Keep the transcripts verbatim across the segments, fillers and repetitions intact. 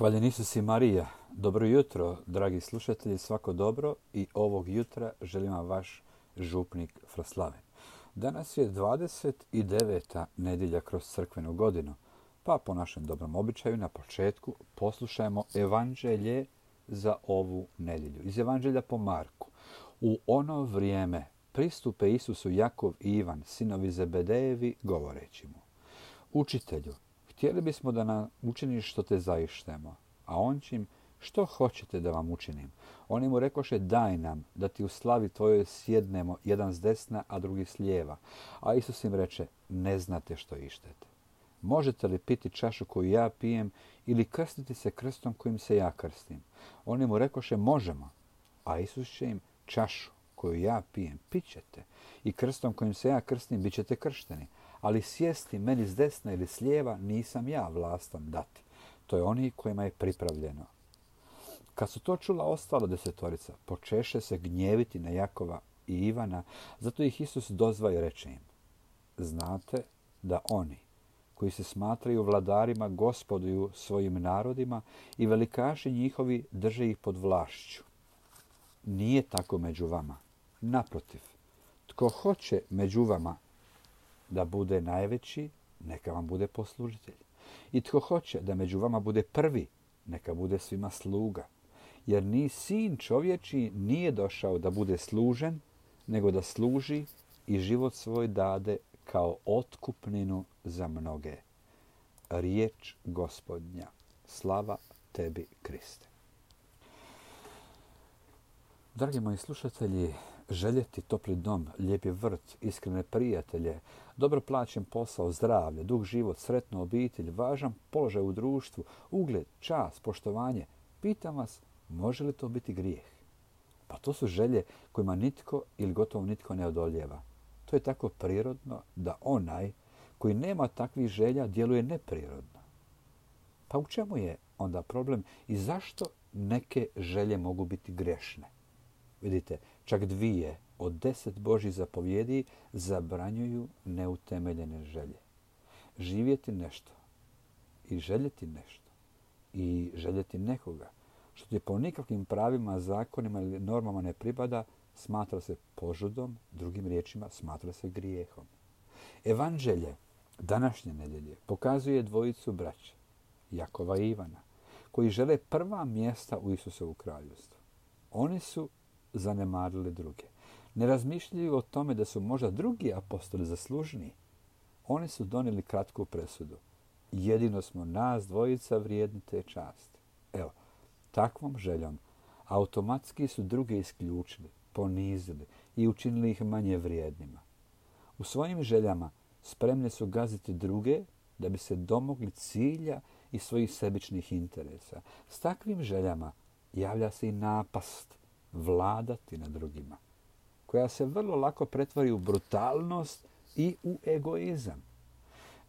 Hvaljen Isus i Marija. Dobro jutro, dragi slušatelji, svako dobro i ovog jutra želim vam vaš župnik Froslaven. Danas je dvadeset deveta nedjelja kroz crkvenu godinu, pa po našem dobrom običaju na početku poslušajmo evanđelje za ovu nedjelju. Iz evanđelja po Marku. U ono vrijeme pristupe Isusu Jakov i Ivan, sinovi Zebedejevi, govoreći mu: Učitelju, htjeli bismo da nam učiniš što te zaištemo. A on će im: Što hoćete da vam učinim? Oni mu rekoše: Daj nam da ti u slavi tvojoj sjednemo, jedan s desna, a drugi s lijeva. A Isus im reče: Ne znate što ištete. Možete li piti čašu koju ja pijem ili krstiti se krstom kojim se ja krstim? Oni mu rekoše: Možemo. A Isus će im: Čašu koju ja pijem pit ćete i krstom kojim se ja krstim bit ćete kršteni. Ali sjesti meni s desna ili s lijeva nisam ja vlastan dati. To je oni kojima je pripravljeno. Kad su to čula ostala desetorica, počeše se gnjeviti na Jakova i Ivana, zato ih Isus dozva i reče im: Znate da oni koji se smatraju vladarima gospoduju svojim narodima i velikaši njihovi drže ih pod vlašću. Nije tako među vama. Naprotiv, tko hoće među vama da bude najveći, neka vam bude poslužitelj. I tko hoće da među vama bude prvi, neka bude svima sluga. Jer ni sin čovječiji nije došao da bude služen, nego da služi i život svoj dade kao otkupninu za mnoge. Riječ Gospodnja. Slava tebi, Kriste. Dragi moji slušatelji, željeti topli dom, lijepi vrt, iskrene prijatelje, dobro plaćen posao, zdravlje, dug život, sretnu obitelj, važan položaj u društvu, ugled, čast, poštovanje. Pitam vas, može li to biti grijeh? Pa to su želje kojima nitko ili gotovo nitko ne odoljeva. To je tako prirodno da onaj koji nema takvih želja djeluje neprirodno. Pa u čemu je onda problem i zašto neke želje mogu biti grešne? Vidite, čak dvije od deset Božjih zapovjedi zabranjuju neutemeljene želje. Živjeti nešto i željeti nešto i željeti nekoga što ti po nikakvim pravima, zakonima ili normama ne pripada, smatra se požudom, drugim riječima smatra se grijehom. Evanđelje današnje nedjelje pokazuje dvojicu braće, Jakova i Ivana, koji žele prva mjesta u Isusovu kraljevstvu. Oni su zanemarili druge. Ne razmišljaju o tome da su možda drugi apostoli zaslužniji. Oni su donijeli kratku presudu. Jedino smo nas dvojica vrijedni te časti. Evo, takvom željom automatski su druge isključili, ponizili i učinili ih manje vrijednima. U svojim željama spremni su gaziti druge da bi se domogli cilja i svojih sebičnih interesa. S takvim željama javlja se i napast vladati nad drugima, koja se vrlo lako pretvori u brutalnost i u egoizam.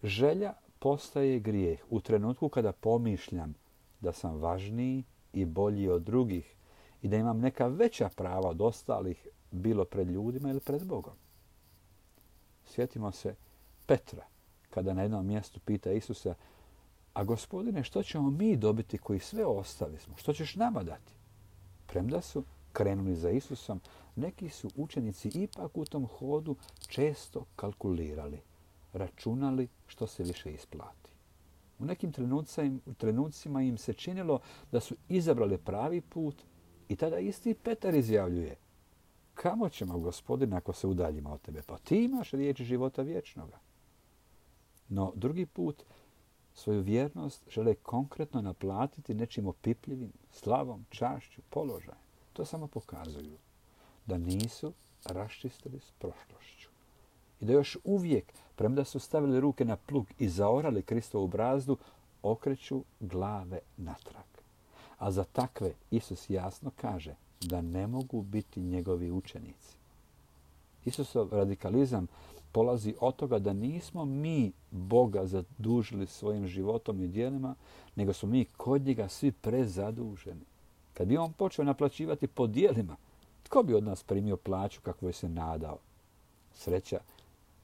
Želja postaje grijeh u trenutku kada pomišljam da sam važniji i bolji od drugih i da imam neka veća prava od ostalih, bilo pred ljudima ili pred Bogom. Sjetimo se Petra, kada na jednom mjestu pita Isusa: A Gospodine, što ćemo mi dobiti koji sve ostali smo? Što ćeš nama dati? Premda su krenuli za Isusom, neki su učenici ipak u tom hodu često kalkulirali, računali što se više isplati. U nekim trenucima im se činilo da su izabrali pravi put i tada isti Petar izjavljuje: Kamo ćemo, Gospodine, ako se udaljimo od tebe? Pa ti imaš riječ života vječnoga. No drugi put svoju vjernost žele konkretno naplatiti nečim opipljivim, slavom, čašću, položajem. To samo pokazuju da nisu raščistili s prošlošću i da još uvijek, premda su stavili ruke na plug i zaorali Kristovu brazdu, okreću glave natrag. A za takve Isus jasno kaže da ne mogu biti njegovi učenici. Isusov radikalizam polazi od toga da nismo mi Boga zadužili svojim životom i djelima, nego smo mi kod njega svi prezaduženi. Kad bi on počeo naplaćivati po djelima, tko bi od nas primio plaću kakvu je se nadao? Sreća,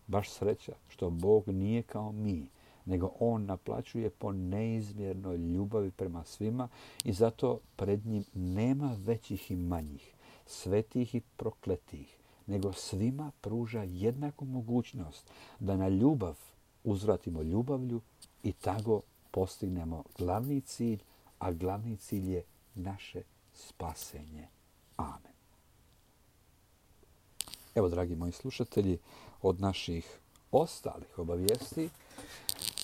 baš sreća, što Bog nije kao mi, nego on naplaćuje po neizmjernoj ljubavi prema svima i zato pred njim nema većih i manjih, svetih i prokletih, nego svima pruža jednaku mogućnost da na ljubav uzvratimo ljubavlju i tako postignemo glavni cilj, a glavni cilj je naše spasenje. Amen. Evo, dragi moji slušatelji, od naših ostalih obavijesti,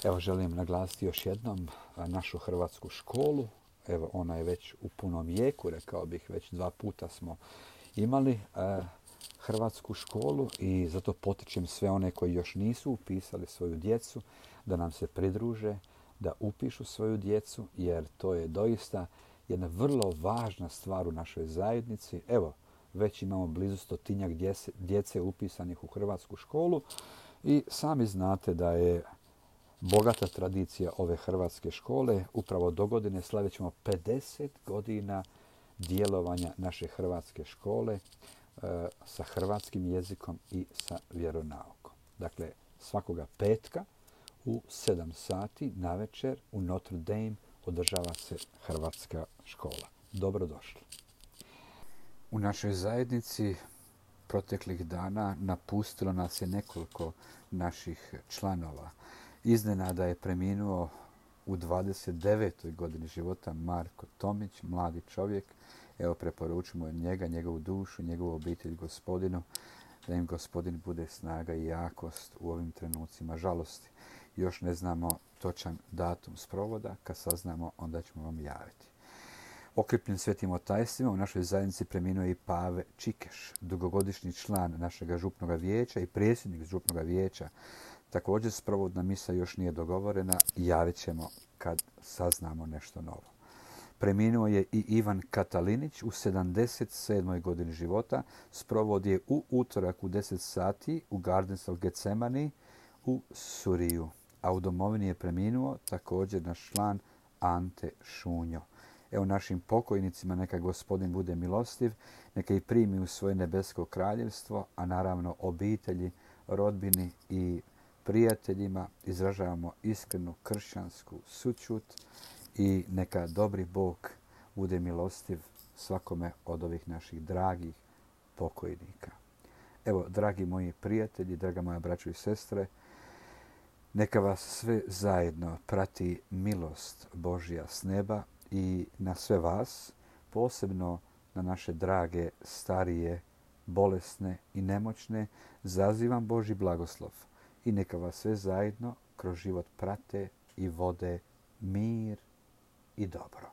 evo želim naglasiti još jednom našu hrvatsku školu. Evo, ona je već u punom jeku, rekao bih, već dva puta smo imali eh, hrvatsku školu i zato potičem sve one koji još nisu upisali svoju djecu da nam se pridruže, da upišu svoju djecu, jer to je doista jedna vrlo važna stvar u našoj zajednici. Evo, već imamo blizu stotinjak djece, djece upisanih u hrvatsku školu i sami znate da je bogata tradicija ove hrvatske škole. Upravo do godine slavit ćemo pedeset godina djelovanja naše hrvatske škole e, sa hrvatskim jezikom i sa vjeronaukom. Dakle, svakoga petka u sedam sati navečer u Notre Dame održava se hrvatska škola. Dobrodošli. U našoj zajednici proteklih dana napustilo nas je nekoliko naših članova. Iznenada je preminuo u dvadeset devetoj godini života Marko Tomić, mladi čovjek. Evo, preporučujemo njega, njegovu dušu, njegovu obitelj Gospodinu, da im Gospodin bude snaga i jakost u ovim trenucima žalosti. Još ne znamo točan datum sprovoda, kad saznamo onda ćemo vam javiti. Okripljen svetim otajstvima u našoj zajednici preminuo je i Pave Čikeš, dugogodišnji član našeg župnog vijeća i predsjednik župnog vijeća. Također sprovodna misa još nije dogovorena, javit ćemo kad saznamo nešto novo. Preminuo je i Ivan Katalinić u sedamdeset sedmoj godini života. Sprovod je u utorak u deset sati u Gardens of Gethsemane u Suriju. A u domovini je preminuo također naš član Ante Šunjo. Evo, našim pokojnicima neka Gospodin bude milostiv, neka ih primi u svoje nebesko kraljevstvo, a naravno obitelji, rodbini i prijateljima izražavamo iskrenu kršćansku sućut i neka dobri Bog bude milostiv svakome od ovih naših dragih pokojnika. Evo, dragi moji prijatelji, draga moja braćo i sestre, neka vas sve zajedno prati milost Božja s neba i na sve vas, posebno na naše drage, starije, bolesne i nemoćne, zazivam Božji blagoslov i neka vas sve zajedno kroz život prate i vode mir i dobro.